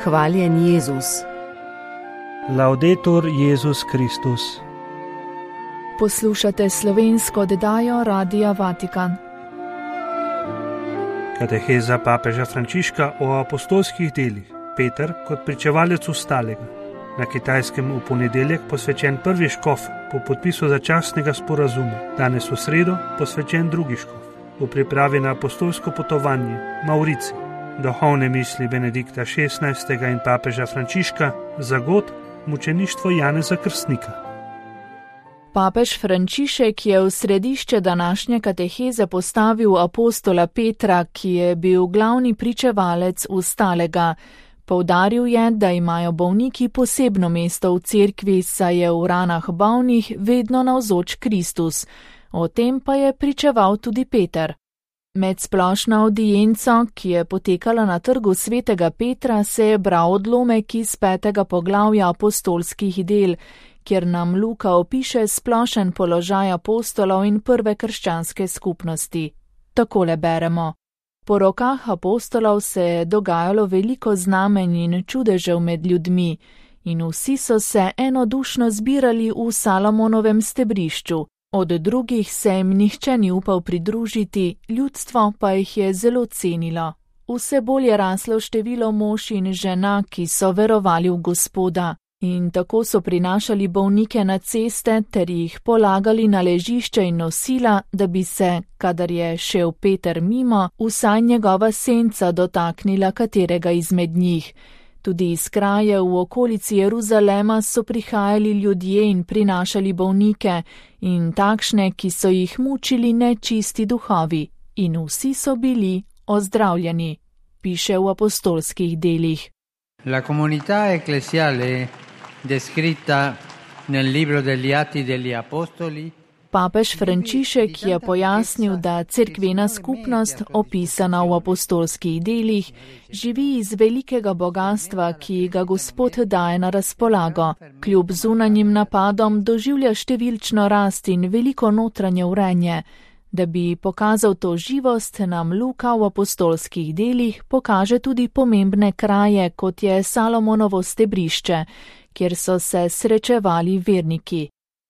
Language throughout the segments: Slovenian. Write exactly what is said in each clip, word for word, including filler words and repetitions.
Hvaljen Jezus. Laudetur Jezus Kristus. Poslušate slovensko oddajo Radia Vatikan. Kateheza papeža Frančiška o apostolskih delih. Peter kot pričevalec ostalega. Na Kitajskem v ponedeljek posvečen prvi škof po podpisu začasnega sporazuma. Danes v sredo posvečen drugi škof. V pripravi na apostolsko potovanje Maurici. Duhovne misli Benedikta šestnajstega in papeža Frančiška za god mučeništvo Janeza Krstnika. Papež Frančišek je v središče današnje kateheze postavil apostola Petra, ki je bil glavni pričevalec ostalega. Poudaril je, da imajo bolniki posebno mesto v cerkvi, saj je v ranah bolnih vedno navzoč Kristus. O tem pa je pričeval tudi Peter. Med splošno avdienco, ki je potekala na trgu svetega Petra, se je bral odlomek iz petega poglavja apostolskih del, kjer nam Luka opiše splošen položaj apostolov in prve krščanske skupnosti. Takole beremo. Po rokah apostolov se je dogajalo veliko znamenj in čudežev med ljudmi, in vsi so se enodušno zbirali v Salomonovem stebrišču. Od drugih se jim nihče ni upal pridružiti, ljudstvo pa jih je zelo cenilo. Vse bolj je raslo število mož in žena, ki so verovali v Gospoda, in tako so prinašali bolnike na ceste ter jih polagali na ležišče in nosila, da bi se, kadar je šel Peter mimo, vsaj njegova senca dotaknila katerega izmed njih. Tudi iz krajev v okolici Jeruzalema so prihajali ljudje in prinašali bolnike in takšne, ki so jih mučili nečisti duhovi, in vsi so bili ozdravljeni, piše v apostolskih delih. La comunità ecclesiale descritta nel libro degli Atti degli Apostoli. Papež Frančišek je pojasnil, da cerkvena skupnost, opisana v apostolskih delih, živi iz velikega bogatstva, ki ga Gospod daje na razpolago. Kljub zunanjim napadom doživlja številčno rast in veliko notranje urenje. Da bi pokazal to živost, nam Luka v apostolskih delih pokaže tudi pomembne kraje, kot je Salomonovo stebrišče, kjer so se srečevali verniki.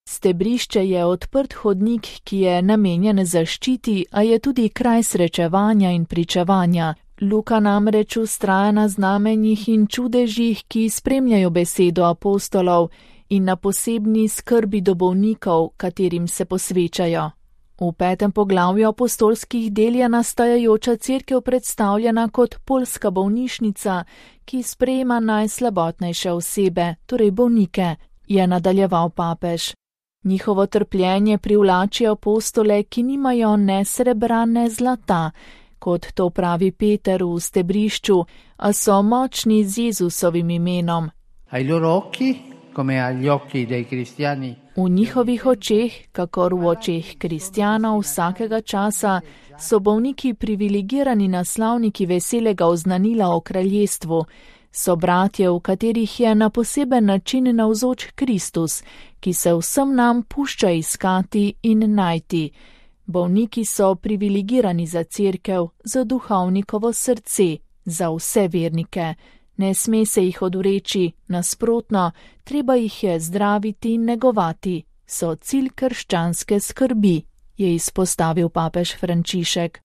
Stebrišče je odprt hodnik, ki je namenjen zaščiti, a je tudi kraj srečevanja in pričevanja. Luka namreč vztraja na znamenjih in čudežih, ki spremljajo besedo apostolov in na posebni skrbi do bolnikov, katerim se posvečajo. V petem poglavju apostolskih del je nastajajoča cerkev predstavljena kot poljska bolnišnica, ki sprejema najslabotnejše osebe, torej bolnike, je nadaljeval papež. Njihovo trpljenje privlači apostole, ki nimajo ne srebra, ne zlata, kot to pravi Peter v stebrišču, a so močni z Jezusovim imenom. Ai loro occhi, come agli occhi dei cristiani. V njihovih očeh, kakor v očeh kristjanov vsakega časa, so bolniki privilegirani naslavniki veselega oznanila o kraljestvu. So bratje, v katerih je na poseben način navzoč Kristus, ki se vsem nam pušča iskati in najti. Bolniki so privilegirani za cerkev, za duhovnikovo srce, za vse vernike. Ne sme se jih odreči, nasprotno, treba jih je zdraviti in negovati. So cilj krščanske skrbi, je izpostavil papež Frančišek.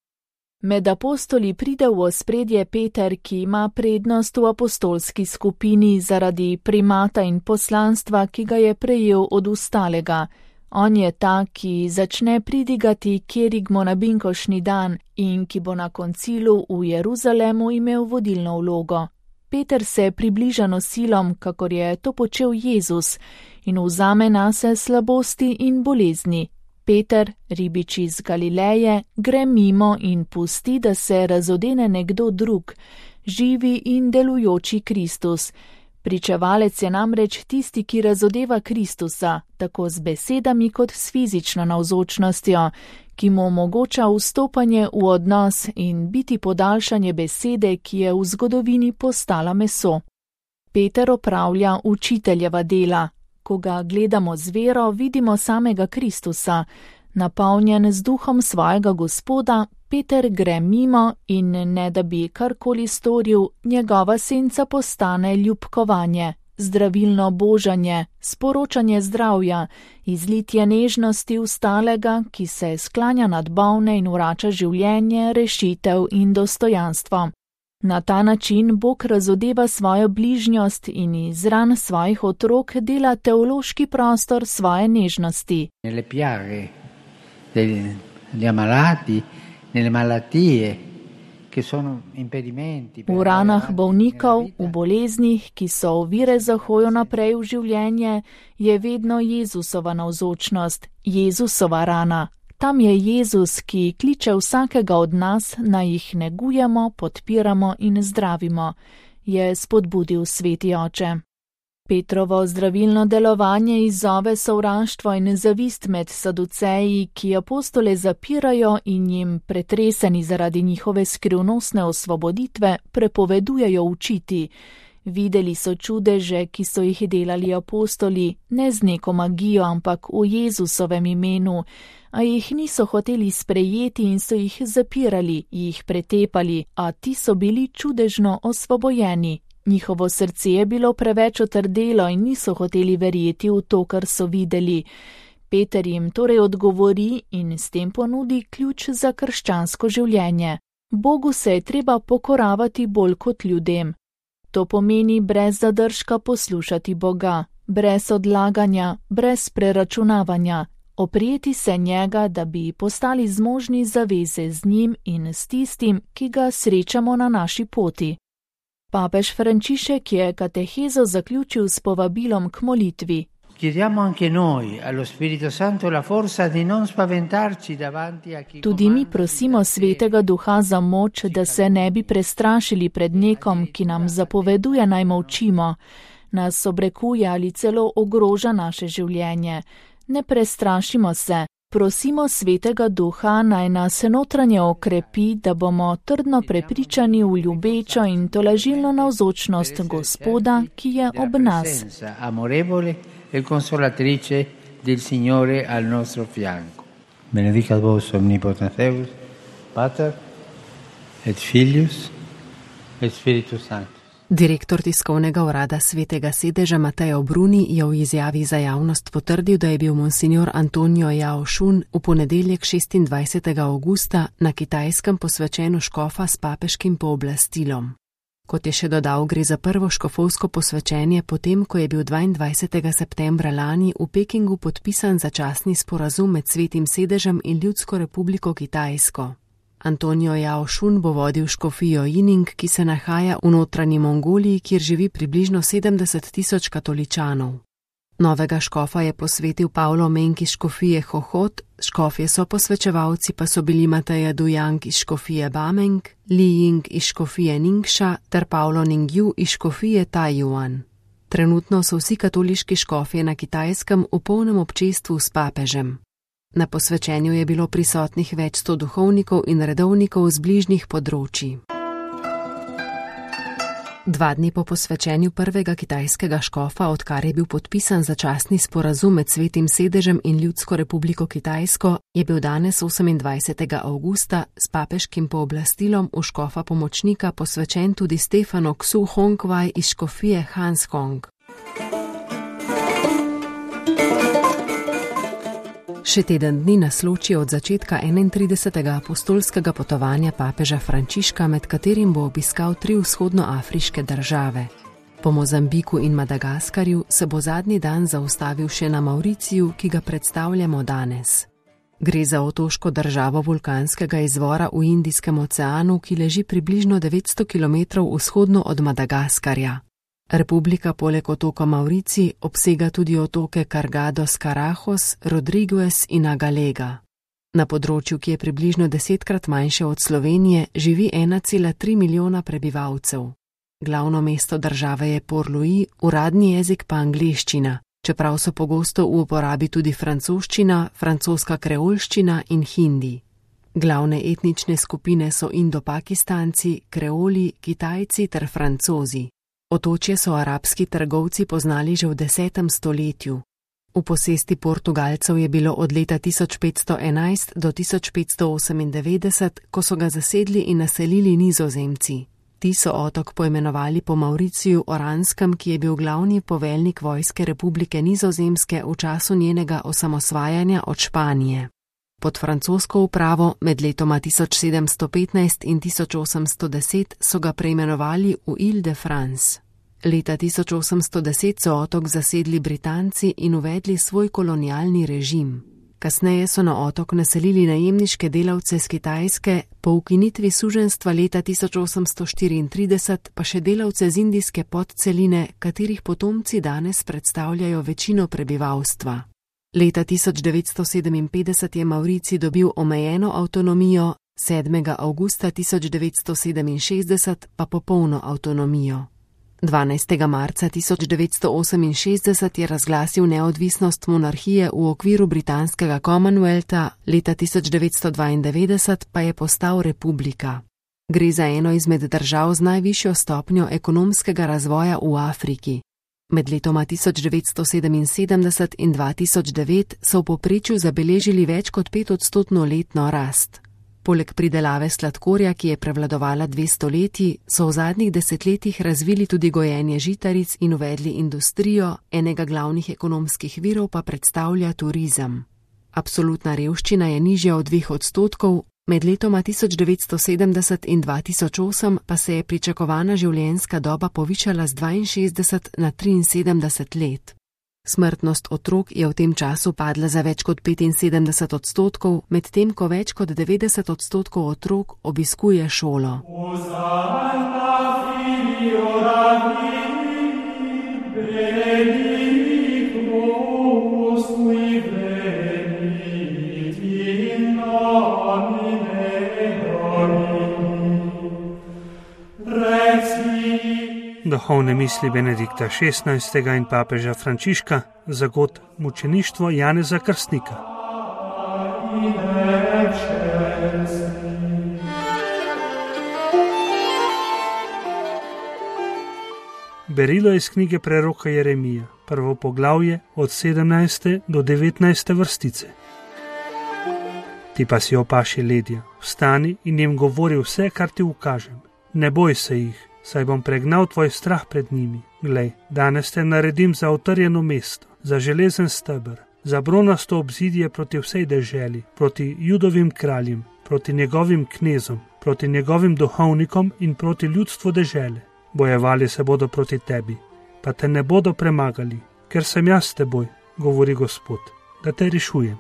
Med apostoli pride v ospredje Peter, ki ima prednost v apostolski skupini zaradi primata in poslanstva, ki ga je prejel od ostalega. On je ta, ki začne pridigati kerigmo na binkošni dan in ki bo na koncilu v Jeruzalemu imel vodilno vlogo. Peter se približa nosilom, kakor je to počel Jezus, in vzame nase slabosti in bolezni. Peter, ribič iz Galileje, gre mimo in pusti, da se razodene nekdo drug, živi in delujoči Kristus. Pričevalec je namreč tisti, ki razodeva Kristusa, tako z besedami kot s fizično navzočnostjo, ki mu omogoča vstopanje v odnos in biti podaljšanje besede, ki je v zgodovini postala meso. Peter opravlja učiteljeva dela. Ko ga gledamo z vero, vidimo samega Kristusa. Napolnjen z duhom svojega Gospoda, Peter gre mimo in ne da bi karkoli storil, njegova senca postane ljubkovanje, zdravilno božanje, sporočanje zdravja, izlitje nežnosti ustalega, ki se sklanja nad bolne in vrača življenje, rešitev in dostojanstvo. Na ta način Bog razodeva svojo bližnjost in iz ran svojih otrok dela teološki prostor svoje nežnosti. Nelle piaghe degli ammalati, nelle malattie, che sono impedimenti. V ranah bolnikov, v boleznih, ki so ovire za hojo naprej v življenje, je vedno Jezusova navzočnost, Jezusova rana. Tam je Jezus, ki kliče vsakega od nas, naj jih negujemo, podpiramo in zdravimo, je spodbudil Sveti Oče. Petrovo zdravilno delovanje izzove sovraštvo in zavist med saduceji, ki apostole zapirajo in jim, pretreseni zaradi njihove skrivnostne osvoboditve, prepovedujejo učiti. Videli so čudeže, ki so jih delali apostoli, ne z neko magijo, ampak v Jezusovem imenu, a jih niso hoteli sprejeti in so jih zapirali, jih pretepali, a ti so bili čudežno osvobojeni. Njihovo srce je bilo preveč otrdelo in niso hoteli verjeti v to, kar so videli. Peter jim torej odgovori in s tem ponudi ključ za krščansko življenje. Bogu se je treba pokoravati bolj kot ljudem. To pomeni brez zadržka poslušati Boga, brez odlaganja, brez preračunavanja, oprijeti se njega, da bi postali zmožni zaveze z njim in s tistim, ki ga srečamo na naši poti. Papež Frančišek je katehezo zaključil s povabilom k molitvi. Tudi mi prosimo Svetega Duha za moč, da se ne bi prestrašili pred nekom, ki nam zapoveduje naj molčimo, nas obrekuje ali celo ogroža naše življenje. Ne prestrašimo se. Prosimo Svetega Duha, naj nas notranje okrepi, da bomo trdno prepričani v ljubečo in tolažilno navzočnost Gospoda, ki je ob nas. Benedicat vos omnipotens Deus, Pater et Filius et Spiritus Sanctus. Direktor tiskovnega urada Svetega sedeža Mateo Bruni je v izjavi za javnost potrdil, da je bil monsignor Antonio Yao Shun v ponedeljek šestindvajsetega avgusta na Kitajskem posvečen v škofa s papeškim pooblastilom. Kot je še dodal, gre za prvo škofovsko posvečenje potem, ko je bil dvaindvajsetega septembra lani v Pekingu podpisan začasni sporazum med Svetim sedežem in Ljudsko republiko Kitajsko. Antonio Yao Shun bo vodil škofijo Yining, ki se nahaja v notranji Mongoliji, kjer živi približno sedemdeset tisoč katoličanov. Novega škofa je posvetil Pavlo Meng iz škofije Hohot, škofje so posvečevalci pa so bili Mateja Dujang iz škofije Bameng, Li Ying iz škofije Ningxia ter Pavlo Ningyu iz škofije Taiyuan. Trenutno so vsi katoliški škofje na Kitajskem v polnem občestvu s papežem. Na posvečenju je bilo prisotnih več sto duhovnikov in redovnikov z bližnjih področji. Dva dni po posvečenju prvega kitajskega škofa, odkar je bil podpisan začasni sporazum med Svetim sedežem in Ljudsko republiko Kitajsko, je bil danes osemindvajsetega avgusta s papeškim pooblastilom v škofa pomočnika posvečen tudi Stefano Xu Hongwei iz škofije Hanskong. Še teden dni nas loči od začetka enaintridesetega apostolskega potovanja papeža Frančiška, med katerim bo obiskal tri vzhodnoafriške države. Po Mozambiku in Madagaskarju se bo zadnji dan zaustavil še na Mauriciju, ki ga predstavljamo danes. Gre za otoško državo vulkanskega izvora v Indijskem oceanu, ki leži približno devetsto kilometrov vzhodno od Madagaskarja. Republika poleg otoka Maurici obsega tudi otoke Cargados, Carajos, Rodriguez in Agalega. Na področju, ki je približno desetkrat manjše od Slovenije, živi ena cela tri milijona prebivalcev. Glavno mesto države je Port-Louis, uradni jezik pa angleščina, čeprav so pogosto v uporabi tudi francoščina, francoska kreolščina in hindi. Glavne etnične skupine so Indo-Pakistanci, Kreoli, Kitajci ter Francozi. Otočje so arabski trgovci poznali že v desetem stoletju. V posesti Portugalcev je bilo od leta tisoč petsto enajst do tisoč petsto osemindevetdeset, ko so ga zasedli in naselili Nizozemci. Ti so otok poimenovali po Mauriciju Oranskem, ki je bil glavni poveljnik vojske Republike Nizozemske v času njenega osamosvajanja od Španije. Pod francosko upravo med letoma tisoč sedemsto petnajst in tisoč osemsto deset so ga preimenovali v Ile-de-France. Leta tisoč osemsto deset so otok zasedli Britanci in uvedli svoj kolonialni režim. Kasneje so na otok naselili najemniške delavce z Kitajske, po ukinitvi suženjstva leta tisoč osemsto štiriintrideset pa še delavce z indijske podceline, katerih potomci danes predstavljajo večino prebivalstva. Leta tisoč devetsto sedeminpetdeset je Mauricij dobil omejeno avtonomijo, sedmega avgusta tisoč devetsto sedeminšestdeset pa popolno avtonomijo. dvanajstega marca tisoč devetsto oseminšestdeset je razglasil neodvisnost monarhije v okviru britanskega Commonwealtha, leta tisoč devetsto dvaindevetdeset pa je postal republika. Gre za eno izmed držav z najvišjo stopnjo ekonomskega razvoja v Afriki. Med letoma tisoč devetsto sedeminsedemdeset in dva tisoč devet so v povprečju zabeležili več kot petodstotno letno rast. Poleg pridelave sladkorja, ki je prevladovala dve stoletji, so v zadnjih desetletjih razvili tudi gojenje žitaric in uvedli industrijo, enega glavnih ekonomskih virov pa predstavlja turizem. Absolutna revščina je nižja od dveh odstotkov, med letoma tisoč devetsto sedemdeset in dva tisoč osem pa se je pričakovana življenjska doba povišala z dvainšestdeset na triinsedemdeset let. Smrtnost otrok je v tem času padla za več kot petinsedemdeset odstotkov, medtem ko več kot devetdeset odstotkov otrok obiskuje šolo. Duhovne misli Benedikta šestnajstega in papeža Frančiška za god mučeništvo Janeza Krstnika. Berilo iz knjige preroka Jeremija, prvo poglavje od sedemnajste do devetnajste vrstice. Ti pa si opaši ledja, vstani in jim govori vse, kar ti ukažem. Ne boj se jih, saj bom pregnal tvoj strah pred njimi. Glej, danes te naredim za utrjeno mesto, za železen steber, za bronasto obzidje proti vsej deželi, proti Judovim kraljem, proti njegovim knezom, proti njegovim duhovnikom in proti ljudstvu dežele. Bojevali se bodo proti tebi, pa te ne bodo premagali, ker sem jaz s teboj, govori Gospod, da te rešujem.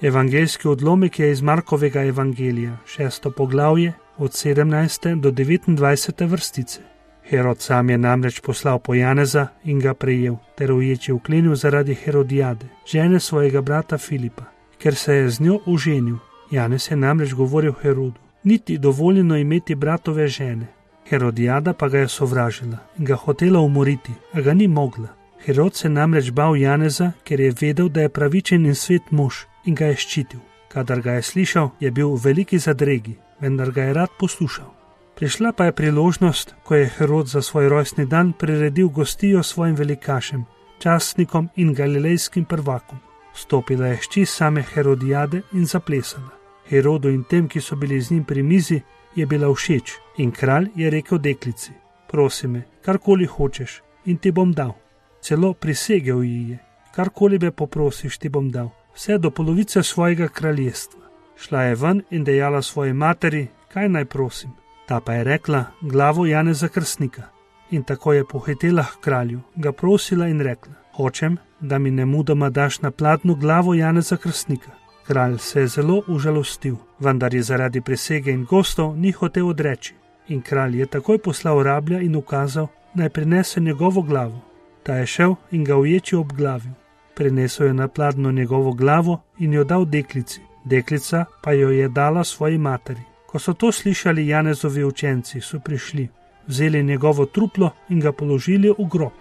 Evangeljski odlomek je iz Markovega evangelija, šesto poglavje, od sedemnajste do devetindvajsete vrstice. Herod sam je namreč poslal po Janeza in ga prejel, ter uječi vklenil zaradi Herodijade, žene svojega brata Filipa, ker se je z njo oženil. Janez je namreč govoril Herodu, niti dovoljeno imeti bratove žene. Herodijada pa ga je sovražila in ga hotela umoriti, a ga ni mogla. Herod se namreč bal Janeza, ker je vedel, da je pravičen in svet mož in ga je ščitil. Kadar ga je slišal, je bil v veliki zadregi, vendar ga je rad poslušal. Prišla pa je priložnost, ko je Herod za svoj rojstni dan priredil gostijo svojim velikašem, častnikom in galilejskim prvakom. Stopila je hči same Herodijade in zaplesala. Herodu in tem, ki so bili z njim pri mizi, je bila všeč in kralj je rekel deklici, prosi me, karkoli hočeš in ti bom dal. Celo prisegel ji je, karkoli me poprosiš, ti bom dal, vse do polovice svojega kraljestva. Šla je ven in dejala svoji materi, kaj naj prosim. Ta pa je rekla, glavo Janeza Krstnika. In tako je pohitela k kralju, ga prosila in rekla, hočem, da mi nemudoma daš na pladnju glavo Janeza Krstnika. Kralj se je zelo užalostil, vendar je zaradi prisege in gostov ni hotel odreči. In kralj je takoj poslal rablja in ukazal, naj prinese njegovo glavo. Ta je šel in ga uječi obglavil. Prinesel je na pladnju njegovo glavo in jo dal deklici. Deklica pa jo je dala svoji materi. Ko so to slišali Janezovi učenci, so prišli, vzeli njegovo truplo in ga položili v grob.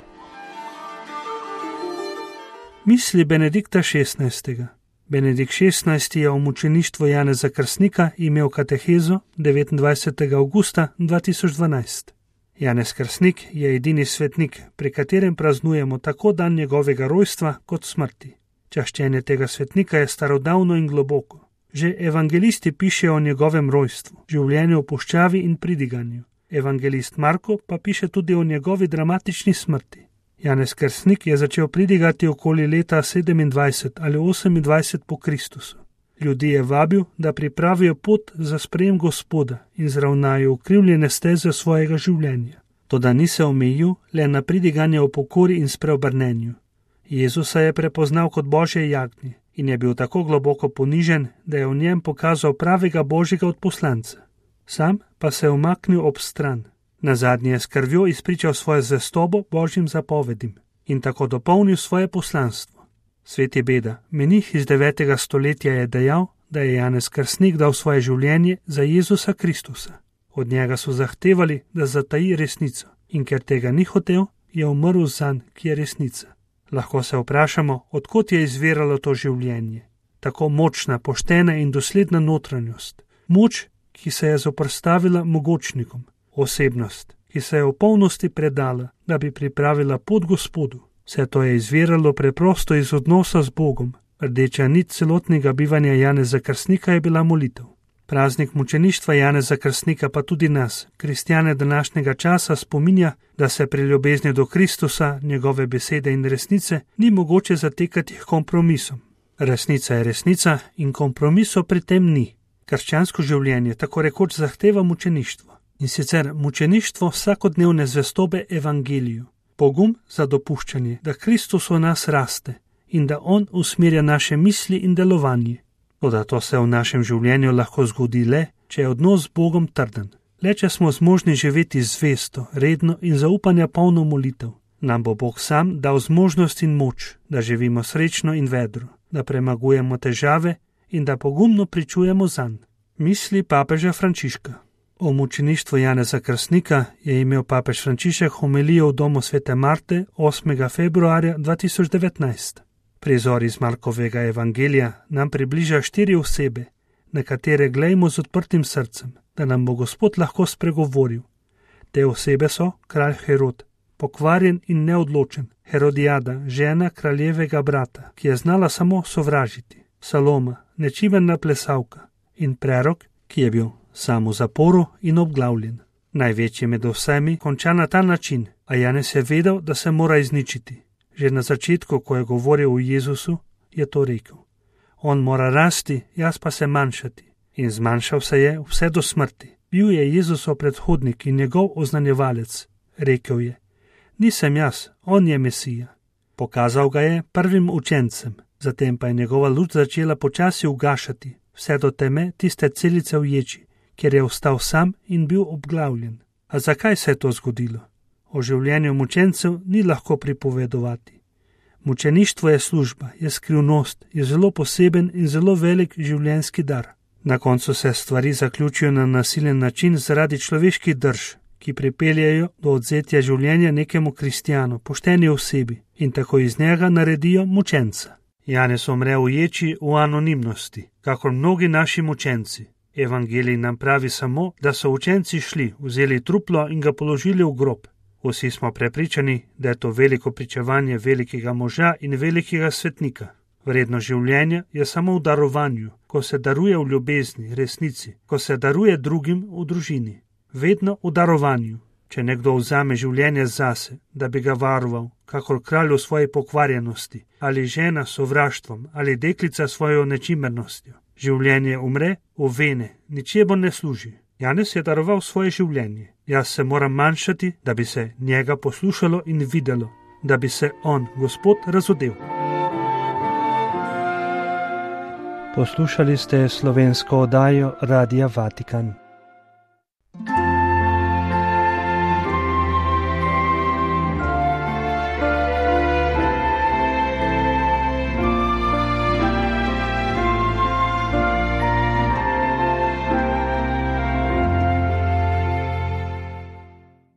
Misli Benedikta šestnajstega. Benedikt šestnajsti je o mučeništvu Janeza Krstnika imel katehezo devetindvajsetega avgusta dva tisoč dvanajst. Janez Krstnik je edini svetnik, pri katerem praznujemo tako dan njegovega rojstva kot smrti. Čaščenje tega svetnika je starodavno in globoko. Že evangelisti pišejo o njegovem rojstvu, življenju v puščavi in pridiganju. Evangelist Marko pa piše tudi o njegovi dramatični smrti. Janez Krstnik je začel pridigati okoli leta sedemindvajset ali osemindvajset po Kristusu. Ljudi je vabil, da pripravijo pot za sprejem Gospoda in zravnajo ukrivljene steze svojega življenja. Toda ni se omejil le na pridiganje o pokori in spreobrnenju. Jezusa je prepoznal kot Božje jagnje in je bil tako globoko ponižen, da je v njem pokazal pravega Božjega odposlanca. Sam pa se je umaknil ob stran. Nazadnje je s krvjo izpričal svojo zvestobo Božjim zapovedim in tako dopolnil svoje poslanstvo. Sveti Beda, menih iz devetega stoletja, je dejal, da je Janez Krstnik dal svoje življenje za Jezusa Kristusa. Od njega so zahtevali, da zataji resnico in ker tega ni hotel, je umrl zanj, ki je resnica. Lahko se vprašamo, odkot je izviralo to življenje. Tako močna, poštena in dosledna notranjost. Moč, ki se je zoprstavila mogočnikom. Osebnost, ki se je v polnosti predala, da bi pripravila pot Gospodu. Vse to je izviralo preprosto iz odnosa z Bogom. Rdeča nit celotnega bivanja Janeza Krstnika je bila molitev. Praznik mučeništva Janeza Krstnika pa tudi nas, kristjane današnjega časa, spominja, da se pri ljubezni do Kristusa, njegove besede in resnice ni mogoče zatekati k kompromisom. Resnica je resnica in kompromisov pri tem ni. Krščansko življenje tako rekoč zahteva mučeništvo. In sicer mučeništvo vsakodnevne zvestobe evangeliju. Pogum za dopuščanje, da Kristus v nas raste in da On usmerja naše misli in delovanje. Toda to se v našem življenju lahko zgodi le, če je odnos z Bogom trden. Le, če smo zmožni živeti zvesto, redno in zaupanja polno molitev. Nam bo Bog sam dal zmožnost in moč, da živimo srečno in vedro, da premagujemo težave in da pogumno pričujemo zanj. Misli papeža Frančiška. O mučeništvu Janeza Krstnika je imel papež Frančišek homilijo v domu svete Marte osmega februarja dva tisoč devetnajst. Prizor iz Markovega evangelija nam približa štiri osebe, na katere glejmo z odprtim srcem, da nam bo Gospod lahko spregovoril. Te osebe so kralj Herod, pokvarjen in neodločen, Herodijada, žena kraljevega brata, ki je znala samo sovražiti, Saloma, nečimerna plesalka, in prerok, ki je bil sam v zaporu in obglavljen. Največji med vsemi konča na ta način, a Janez je vedel, da se mora izničiti. Že na začetku, ko je govoril o Jezusu, je to rekel. On mora rasti, jaz pa se manjšati. In zmanjšal se je vse do smrti. Bil je Jezusov predhodnik in njegov oznanjevalec. Rekel je, nisem jaz, on je Mesija. Pokazal ga je prvim učencem, zatem pa je njegova luč začela počasi ugašati, vse do teme tiste celice v ječi, kjer je ostal sam in bil obglavljen. A zakaj se je to zgodilo? O življenju mučencev ni lahko pripovedovati. Mučeništvo je služba, je skrivnost, je zelo poseben in zelo velik življenjski dar. Na koncu se stvari zaključijo na nasilen način zaradi človeških drž, ki pripeljajo do odzetja življenja nekemu kristjanu, pošteni osebi, in tako iz njega naredijo mučenca. Janez umre v ječi v anonimnosti, kakor mnogi naši mučenci. Evangelij nam pravi samo, da so učenci šli, vzeli truplo in ga položili v grob. Vsi smo prepričani, da je to veliko pričevanje velikega moža in velikega svetnika. Vredno življenja je samo v darovanju, ko se daruje v ljubezni, resnici, ko se daruje drugim v družini. Vedno v darovanju. Če nekdo vzame življenje zase, da bi ga varoval, kakor kralj v svoji pokvarjenosti, ali žena s sovraštvom, ali deklica svojo nečimernostjo. Življenje umre v vene, ničemu ne služi. Janez je daroval svoje življenje. Jaz se moram manjšati, da bi se njega poslušalo in videlo, da bi se on, Gospod, razodel. Poslušali ste slovensko oddajo Radia Vatikan.